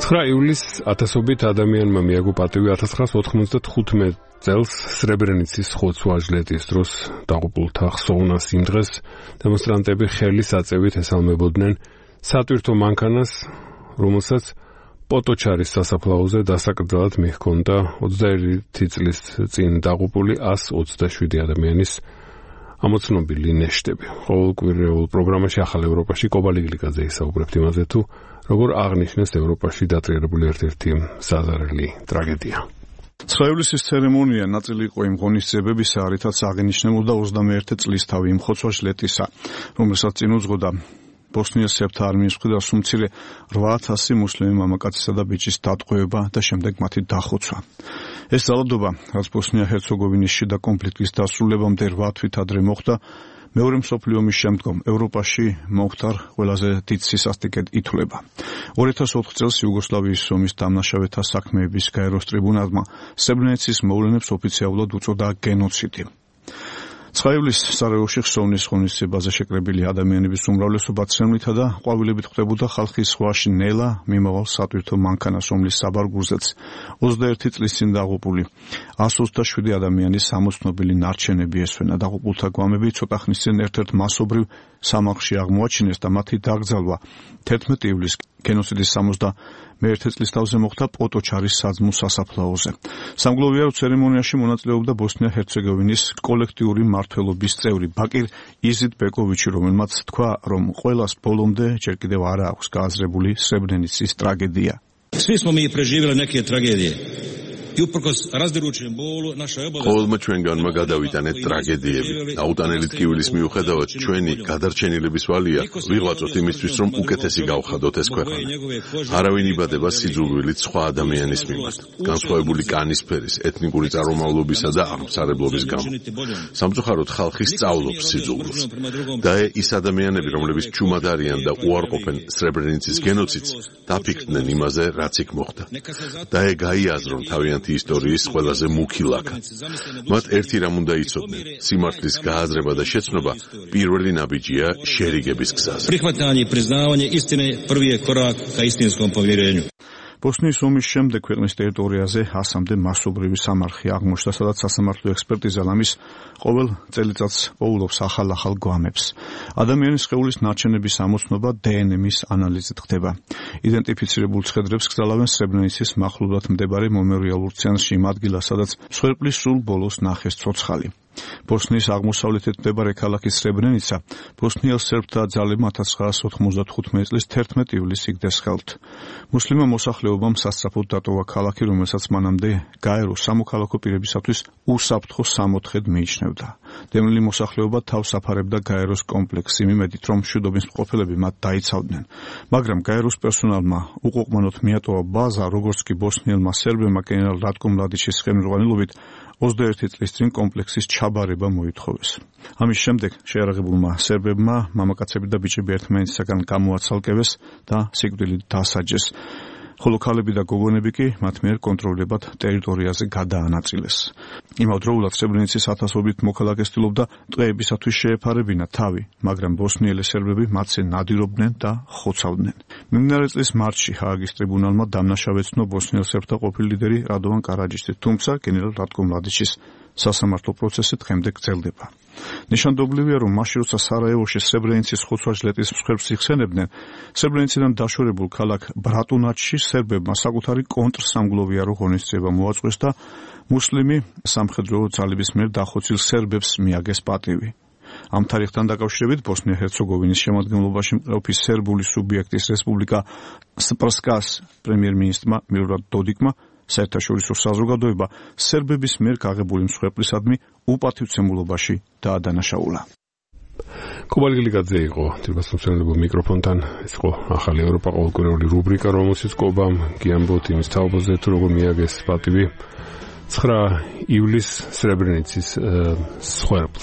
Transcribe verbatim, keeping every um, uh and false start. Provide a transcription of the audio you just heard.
ცხრა ივლისს ათასობით ადამიანმა მიაგო პატივი ათას ცხრაას ოთხმოცდათხუთმეტ წელს სრებრენიცის ხოცვა-ჟლეტის დროს დაღუპულთა ხსოვნას იმ დღეს დემონსტრანტები ხელის აწევით ესალმებოდნენ სატვირთო მანქანას, რომელსაც პოტოჩარის სასაფლაოზე დასაკრძალად მიჰქონდა ოცდაერთი წლის წინ დაღუპული ასი ოცდაშვიდი ადამიანის ამოცნობილი ნეშტები. ყოველკვირეულ პროგრამაში ახალ ევროპაში კობალიგლიკაძე ისაუბრებთ იმაზე თუ როგორ აღნიშნეს ევროპაში დატრიალებული ერთ-ერთი საზარელი ტრაგედია. ცხრა ივლისის ცერემონია ნაწილი იყო იმ ღონისძიებებისა, რითაც აღინიშნებოდა ოცდამეერთი წლისთავი იმ ხოცვა-ჟლეტისა, რომელსაც წინ უძღოდა ბოსნიის სერბთა არმიის მხრიდან სულ რვა ათასი მუსლიმი მამაკაცისა და ბიჭის დატყვევება და შემდეგ მათი დახოცვა. ეს ძალადობა, რაც ბოსნია-ჰერცეგოვინის შიდა კონფლიქტის დასრულებამდე რვა თვით ადრე მოხდა, მეორე მსოფლიო ომის შემდგომ ევროპაში მომხდარ ყველაზე დიდ სისასტიკედ ითვლება. ორი ათას ოთხ წელს იუგოსლავიის ომის დამნაშავეთა საქმეების გაეროს ტრიბუნალმა სრებრენიცის მოვლენებს ოფიციალურად უწოდა გენოციდი. ცხრა ივლისს სარაევოში ხსოვნის ღონისძიებაზე შეკრებილი ადამიანების უმრავლესობა ცრემლითა და ყვავილებით ხვდებოდა ხალხის ზღვაში ნელა მიმავალ სატვირთო მანქანას, რომლის საბარგულზეც ოცდაერთი წლის წინ დაღუპული ასი ოცდაშვიდი ადამიანის ამოცნობილი ნარჩენები ესვენა. დაღუპულთა გვამები ცოტა ხნის წინ ერთ-ერთ მასობრივ სამარხში აღმოაჩინეს და მათი დაკრძალვა თერთმეტი ივლისს გენოციდის სამოცდამეერთე წლისთავზე მოხდა პოტოჩარის საძმო სასაფლაოზე. სამგლოვიარო ცერემონიაში მონაწილეობდა ბოსნია-ჰერცეგოვინის კოლექტიური მმართველობის წევრი ბაკირ იზიდბეკოვიჩი, რომელმაც თქვა, რომ ყველას ბოლომდე ჯერ კიდევ არ აქვს გააზრებული სრებრენიცის ტრაგედია. Svi smo mi preživjeli neke tragedije. I uprkos razdirajućem bolu naša je obaveza. ყოველმა ჩვენგანმა გადავიტანეთ ტრაგედიები. აუტანელი ტკივილის მიუხედავად ჩვენი გადარჩენილების ვალია ვიღწოთ იმისთვის, რომ უკეთესი გავხადოთ ეს ქვეყანა. არავინ იბადება სიძულვილით სხვა ადამიანის მიმართ, განსხვავებული კანისფერის, ეთნიკური წარმომავლობისა და აღმსარებლობის გამო. სამწუხაროდ ხალხი სწავლობს სიძულვილს. და ის ადამიანები, რომლებიც ჩუმად არიან და უარყოფენ სრებრენიცის გენოციდს, დაფიქრდნენ იმაზე, რაც იქ მოხდა. და გაიაზრონ თავიანთი ისტორიის ყველაზე მუქი ლაქა. მათ ერთი რამ უნდა იცოდნენ: სიმართლის გააზრება და შეცნობა პირველი ნაბიჯია შერიგების გზაზე. Prihvatanje i priznavanje istine prvi je korak ka istinskom povjerenju. ბოსნიის ომის შემდეგ ქვეყნის ტერიტორიაზე ასამდე მასობრივი სამარხი აღმოჩნდა, სადაც სასამართლო ექსპერტიზა ლამის ყოველ წელიწადს პოულობს ახალ-ახალ გვამებს. ადამიანის სხეულის ნარჩენების ამოცნობა დე ენ ემის ანალიზით ხდება. იდენტიფიცირებულ ცხედრებს გზალავენ სრებრენიცის მახლობლად მდებარე მემორიალურ ცენტრში, იმ ადგილას, სადაც მსხვერპლის სულ ბოლოს ნახეს ცოცხალი. ბოსნიის აღმოსავლეთით მდებარე ქალაქი სრებრენიცა ბოსნიელ სერბთა ძალებმა ათას ცხრაას ოთხმოცდათხუთმეტ წლის თერთმეტი ივლისს იგდეს ხელთ. მუსლიმმა მოსახლეობამ სასწრაფოდ დატოვა ქალაქი, რომელსაც მანამდე გაეროს სამოქალაქო პირებისათვის უსაფრთხო სამოთხედ მიიჩნევდა. დევნილი მოსახლეობა თავს აფარებდა გაეროს კომპლექსს, იმ იმედით, რომ მშვიდობის მყოფელები მათ დაიცავდნენ. მაგრამ გაეროს პერსონალმა უყოყმანოდ მიატოვა ბაზა, როგორც კი ბოსნიელმა სერბებმა გენერალ რატკო მლადიჩის ხელმძღვანელობით ოცდაერთი წლის წინ კომპლექსის ჩაბარება მოითხოვეს. ამის შემდეგ შეიარაღებულმა სერბებმა მამაკაცები და ბიჭები ერთმანეთისაგან გამოაცალკევეს და სიკვდილით დასაჯეს. ხოლო ქალები და გოგონები კი მათ მიერ კონტროლებად ტერიტორიაზე გადაანაწილეს. იმავდროულად სრებრენიცის ათასობით მოქალაქე ცდილობდა ტყეებისათვის შეეფარებინა თავი, მაგრამ ბოსნიელი სერბები მათზე ნადირობდნენ და ხოცავდნენ. მიმდინარე წლის მარტში ჰააგის ტრიბუნალმა დამნაშავეცნო ბოსნიელ სერბთა ყოფილი ლიდერი რადოვან კარაჯიცი, თუმცა გენერალ რატკო მლადიჩის სასამართლო პროცესი დღემდე გრძელდება. ნიშანდობლივია, რომ მაშინ როცა სარაევოში სრებრენიცის ხოცვა-ჟლეტის მსხვერპლს იხსენებდნენ, სრებრენიციდან დაშორებულ ქალაქ ბრატუნაჩში სერბებმა საკუთარი კონტრსამგლოვიარო ღონისძიება მოაწყვეს და მუსლიმი სამხედრო ძალების მიერ დახოცილ სერბებს მიაგეს პატივი. ამ თარიღთან დაკავშირებით ბოსნია-ჰერცეგოვინის შემადგენლობაში მყოფი სერბული სუბიექტის რესპუბლიკა სპრსკას პრემიერ-მინისტრმა მილორად დოდიკმა საერთაშორისო საზოგადოება სერბების მიერ გაღებული მსხვერპლისადმი უპატივცემულობაში დაადანაშაულა. კობალიგლიკაძე იყო თბილისის მიკროფონთან. ეს იყო ახალი ევროპა ყოველკვირეული რუბრიკა, რომელშიც კობამ გიამბობთ იმის თაობაზე, თუ როგორ მიაგეს პატივი ცხრა ივლისს სრებრენიცის მსხვერპლს.